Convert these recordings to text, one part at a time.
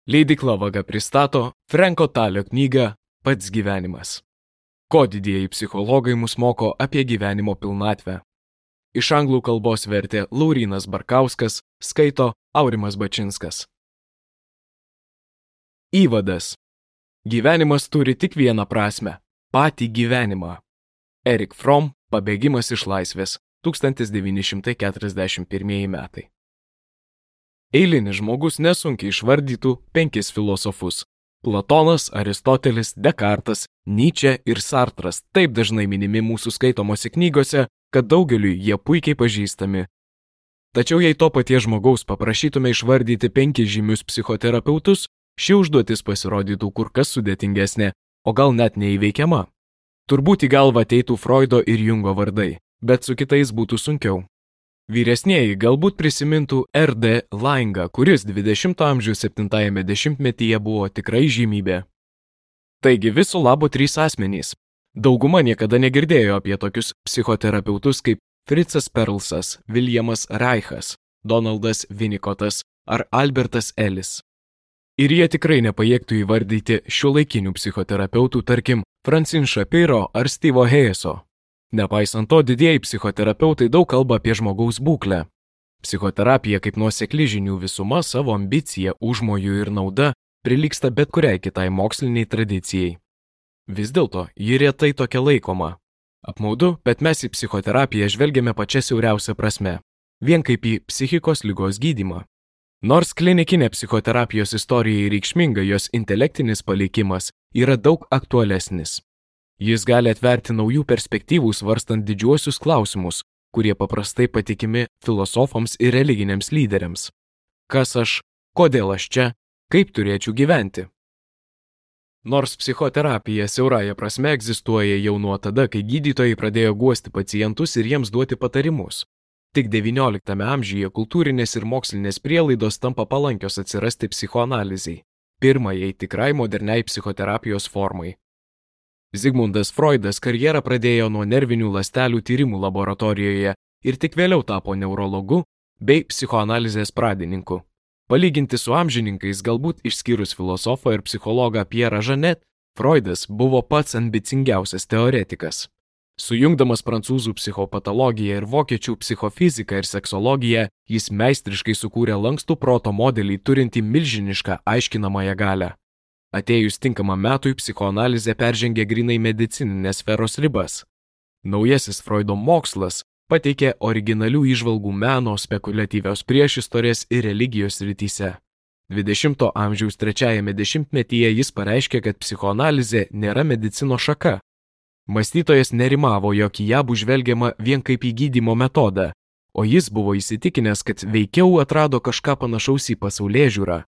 Leidykla Vaga pristato Franko Talio knygą Pats gyvenimas. Ko didieji psichologai mus moko apie gyvenimo pilnatvę. Iš anglų kalbos vertė Laurynas Barkauskas, skaito Aurimas Bačinskas. Įvadas. Gyvenimas turi tik vieną prasmę – patį gyvenimą. Erich Fromm, Pabėgimas iš laisvės, 1941 metai. Eilinis žmogus nesunkiai išvardytų 5 filosofus – Platonas, Aristotelis, Dekartas, Nyčė ir Sartras taip dažnai minimi mūsų skaitomose knygose, kad daugeliui jie puikiai pažįstami. Tačiau jei to paties žmogaus paprašytume išvardyti 5 žymius psichoterapeutus, ši užduotis pasirodytų kur kas sudėtingesnė, o gal net neįveikiama. Turbūt į galvą ateitų Freudo ir Jungo vardai, bet su kitais būtų sunkiau. Vyresnieji galbūt prisimintų R.D. Laingą, kuris 20-ojo amžiaus 7-ajame dešimtmetyje buvo tikrai žymybė. Taigi viso labo 3 asmenys. Dauguma niekada negirdėjo apie tokius psichoterapeutus kaip Fritzas Perlsas, Williamas Reichas, Donaldas Winnicottas ar Albertas Ellis. Ir jie tikrai nepajėgtų įvardyti šiuolaikinių psichoterapeutų, tarkim, Francine Shapiro ar Steve'o Hayeso. Nepaisant to, didieji psichoterapeutai daug kalba apie žmogaus būklę. Psichoterapija kaip nuosekli žinių visuma savo ambicija, užmojų ir nauda prilygsta bet kuriai kitai moksliniai tradicijai. Vis dėlto, ji retai tokia laikoma. Apmaudu, bet mes į psichoterapiją žvelgiame pačia siauriausia prasme, vien kaip į psichikos ligos gydymą. Nors klinikinė psichoterapijos istorija reikšminga, jos intelektinis palikimas yra daug aktualesnis. Jis gali atverti naujų perspektyvų svarstant didžiuosius klausimus, kurie paprastai patikimi filosofams ir religiniams lyderiams. Kas aš, kodėl aš čia, kaip turėčiau gyventi? Nors psichoterapija siaurąja prasme egzistuoja jau nuo tada, kai gydytojai pradėjo guosti pacientus ir jiems duoti patarimus. Tik XIX amžiuje kultūrinės ir mokslinės prielaidos tampa palankios atsirasti psichoanalizei, pirmajai tikrai moderniai psichoterapijos formai. Zigmundas Freudas karjerą pradėjo nuo nervinių ląstelių tyrimų laboratorijoje ir tik vėliau tapo neurologu bei psichoanalizės pradininku. Palyginti su amžininkais, galbūt išskyrus filosofą ir psichologą Pierrą Janet, Freudas buvo pats ambicingiausias teoretikas. Sujungdamas prancūzų psichopatologiją ir vokiečių psichofiziką ir seksologiją, jis meistriškai sukūrė lankstų proto modelį turintį milžinišką aiškinamąją galią. Atėjus tinkamam metui, psichoanalizė peržengė grinai medicininės sferos ribas. Naujasis Freudo mokslas pateikė originalių įžvalgų meno, spekuliatyvios priešistorės ir religijos srityse. 20-ojo amžiaus 3-ajame dešimtmetyje jis pareiškė, kad psichoanalizė nėra medicinos šaka. Mąstytojas nerimavo, jog į ją bus žvelgiama vien kaip į gydymo metodą, o jis buvo įsitikinęs, kad veikiau atrado kažką panašaus į pasaulėžiūrą.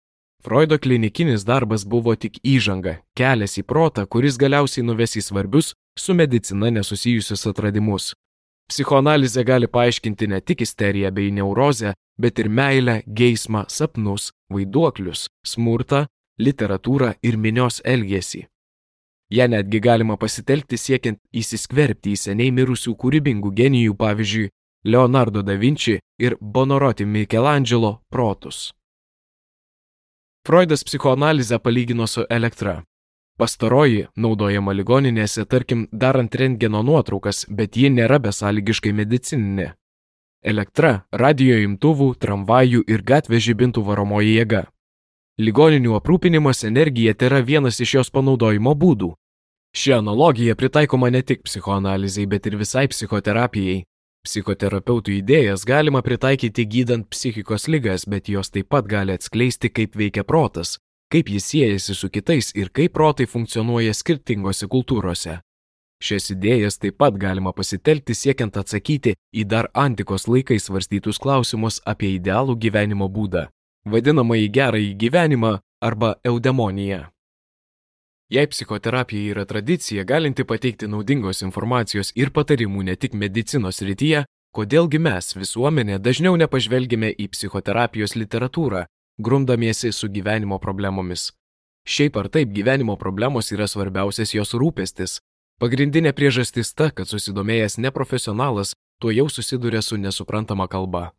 Freudo klinikinis darbas buvo tik įžanga, kelias į protą, kuris galiausiai nuves į svarbius su medicina nesusijusius atradimus. Psichoanalizė gali paaiškinti ne tik isteriją bei neurozę, bet ir meilę, geismą, sapnus, vaiduoklius, smurtą, literatūrą ir minios elgesį. Ja netgi galima pasitelkti siekiant įsiskverbti į seniai mirusių kūrybingų genijų, pavyzdžiui, Leonardo da Vinci ir Buonarroti Michelangelo protus. Freudas psichoanalizę palygino su elektra. Pastaroji naudojama ligoninėse, tarkim, darant rentgeno nuotraukas, bet ji nėra besąlygiškai medicininė. Elektra – radijo imtuvų, tramvajų ir gatvės žibintų varomoji jėga. Ligoninių aprūpinimas energija tėra vienas iš jos panaudojimo būdų. Ši analogija pritaikoma ne tik psichoanalizei, bet ir visai psichoterapijai. Psichoterapeutų idėjas galima pritaikyti gydant psichikos ligas, bet jos taip pat gali atskleisti, kaip veikia protas, kaip jis siejasi su kitais ir kaip protai funkcionuoja skirtingose kultūrose. Šias idėjas taip pat galima pasitelkti siekiant atsakyti į dar antikos laikais svarstytus klausimus apie idealų gyvenimo būdą, vadinamąjį gerąjį gyvenimą arba eudemoniją. Jei psichoterapija yra tradicija, galinti pateikti naudingos informacijos ir patarimų ne tik medicinos srityje, kodėlgi mes, visuomenė, dažniau nepažvelgime į psichoterapijos literatūrą, grumdamiesi su gyvenimo problemomis. Šiaip ar taip gyvenimo problemos yra svarbiausias jos rūpestis. Pagrindinė priežastis ta, kad susidomėjęs neprofesionalas tuojau susiduria su nesuprantama kalba.